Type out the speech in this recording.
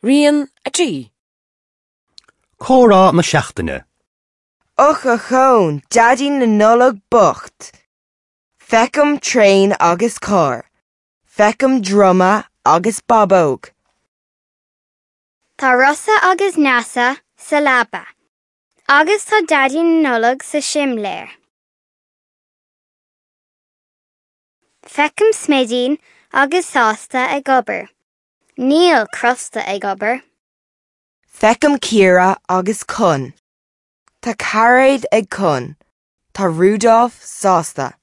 Rian 3. Comhrá na Seachtaine. Och ochón, Daidí na Nollag bocht! Feicim traein agus carr. Feicim druma agus bábóg. Tá Rossa agus Neasa sa leaba. Agus tá Daidí na Nollag sa simléar. Feicim Smidín agus Sásta ag obair. Níl Crosta ag obair. Feicim Ciara agus Con. Tá cairéad ag Con. Tá Rudolf sásta.